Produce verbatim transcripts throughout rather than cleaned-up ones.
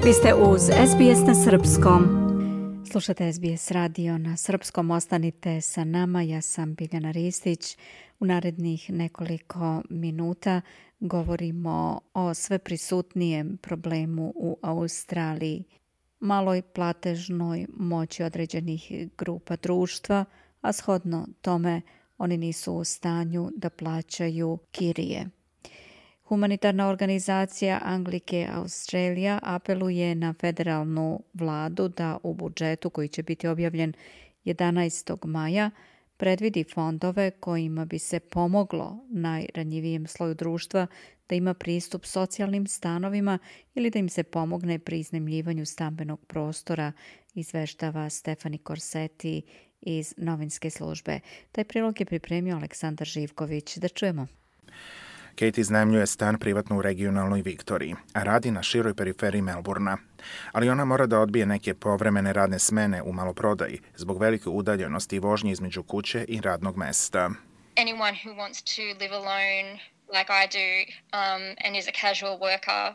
Vi ste uz S B S na srpskom. Slušate S B S radio na srpskom. Ostanite sa nama. Ja sam Biljana Ristić. U narednih nekoliko minuta govorimo o sve prisutnijem problemu u Australiji. Maloj platežnoj moći određenih grupa društva, a shodno tome oni nisu u stanju da plaćaju kirije. Humanitarna organizacija Anglicare Australia apeluje na federalnu vladu da u budžetu koji će biti objavljen jedanaestog maja predvidi fondove kojima bi se pomoglo najranjivijem sloju društva da ima pristup socijalnim stanovima ili da im se pomogne pri iznajmljivanju stambenog prostora, izveštava Stefani Korseti iz novinske službe. Taj prilog je pripremio Aleksandar Živković. Da čujemo. Kate iznajmljuje stan privatno u regionalnoj Viktoriji, a radi na široj periferiji Melbourna. Ali ona mora da odbije neke povremene radne smene u maloprodaji zbog velike udaljenosti i vožnje između kuće i radnog mesta. Anyone who wants to live alone like I do um, and is a casual worker.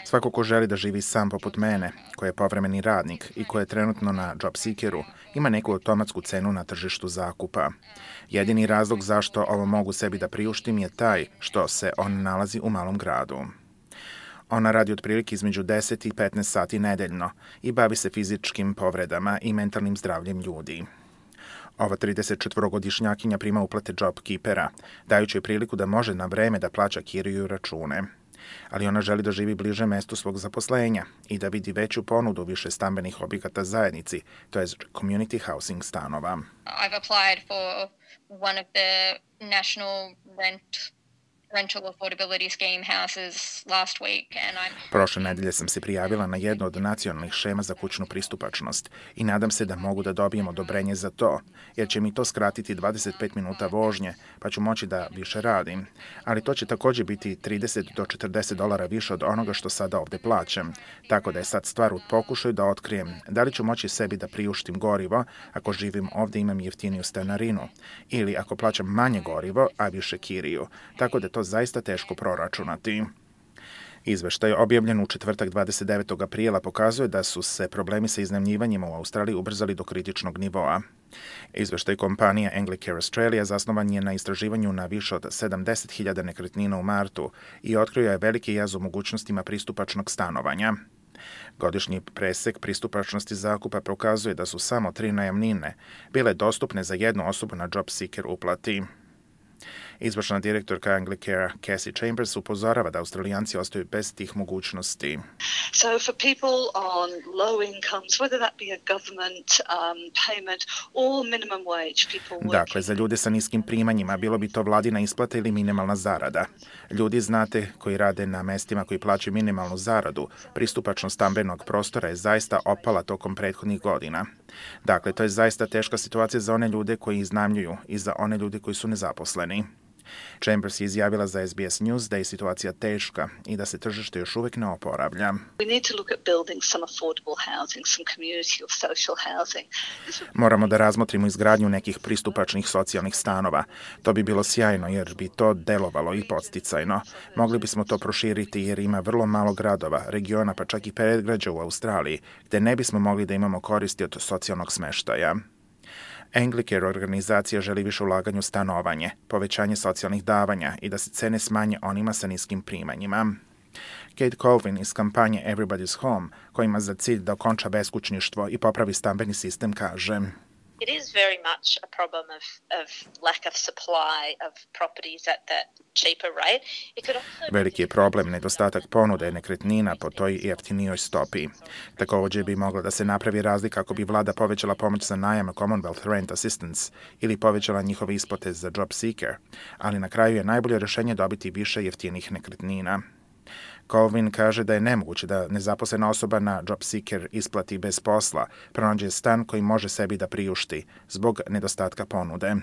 Svako ko želi da živi sam poput mene, ko je povremeni radnik i ko je trenutno na JobSeekeru, ima neku automatsku cenu na tržištu zakupa. Jedini razlog zašto ovo mogu sebi da priuštim je taj što se on nalazi u malom gradu. Ona radi otprilike između deset i petnaest sati nedeljno i bavi se fizičkim povredama i mentalnim zdravljem ljudi. Ova tridesetčetvorogodišnjakinja prima uplate JobKeepera, dajući joj priliku da može na vreme da plaća kiriju i račune. Ali ona želi da živi bliže mestu svog zaposlenja i da vidi veću ponudu više stambenih objekata zajednici, to je community housing stanova. I've applied for one of the national rent rental affordability scheme houses last week and I'm Prošle nedelje sam se prijavila na jednu od nacionalnih šema za kućnu pristupačnost i nadam se da mogu da dobijem odobrenje za to, jer će mi to skratiti dvadeset pet minuta vožnje, pa ću moći da više radim. Ali to će također biti trideset do četrdeset dolara više od onoga što sada ovde plaćam, tako da je sad stvar u pokušaju da otkrijem da li ću moći sebi da priuštim gorivo ako živim ovde i imam jeftiniju stanarinu, ili ako plaćam manje gorivo, a više kiriju, tako da to zaista teško proračunati. Izveštaj objavljen u četvrtak dvadeset devetog aprila pokazuje da su se problemi sa iznajmljivanjima u Australiji ubrzali do kritičnog nivoa. Izveštaj kompanije Anglicare Australia zasnovan je na istraživanju na više od sedamdeset hiljada nekretnina u martu i otkrio je veliki jaz u mogućnostima pristupačnog stanovanja. Godišnji presek pristupačnosti zakupa pokazuje da su samo tri najamnine bile dostupne za jednu osobu na JobSeeker uplati. Izvršna direktorka Anglicare Cassie Chambers upozorava da Australijanci ostaju bez tih mogućnosti. So for people on low incomes, whether that be a government um, payment or minimum wage, people working... Dakle, za ljude sa niskim primanjima, bilo bi to vladina isplata ili minimalna zarada. Ljudi, znate, koji rade na mestima koji plaćaju minimalnu zaradu, pristupačnost stambenog prostora je zaista opala tokom prethodnih godina. Dakle, to je zaista teška situacija za one ljude koji iznajmljuju i za one ljude koji su nezaposleni. Chambers je izjavila za S B S News da je situacija teška i da se tržište još uvijek ne oporavlja. Moramo da razmotrimo izgradnju nekih pristupačnih socijalnih stanova. To bi bilo sjajno jer bi to delovalo i podsticajno. Mogli bismo to proširiti jer ima vrlo malo gradova, regiona pa čak i predgrađa u Australiji, gde ne bismo mogli da imamo koristi od socijalnog smeštaja. Anglicare organizacija želi više ulaganja u stanovanje, povećanje socijalnih davanja i da se cene smanje onima sa niskim primanjima. Kate Colvin iz kampanje Everybody's Home, koja ima za cilj da okonča beskućništvo i popravi stambeni sistem, kaže: It is very much a problem of, of lack of supply of properties at that cheaper rate. It could also... Veliki je problem nedostatak ponude nekretnina po toj jeftinijoj stopi. Također bi mogla da se napravi razlika ako bi vlada povećala pomoć za najam Commonwealth Rent Assistance ili povećala njihove isplate za JobSeeker, ali na kraju je najbolje rješenje dobiti više jeftinih nekretnina. Colvin kaže da je nemoguće da nezaposlena osoba na JobSeeker isplati bez posla, pronađe stan koji može sebi da priušti zbog nedostatka ponude.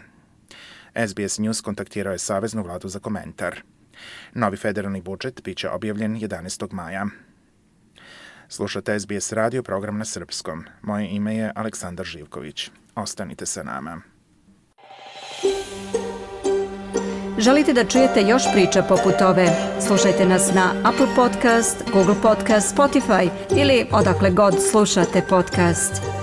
S B S News kontaktirao je Saveznu vladu za komentar. Novi federalni budžet biće objavljen jedanaestog maja. Slušate S B S radio, program na srpskom. Moje ime je Aleksandar Živković. Ostanite sa nama. Želite da čujete još priča poput ove? Slušajte nas na Apple Podcast, Google Podcast, Spotify ili odakle god slušate podcast.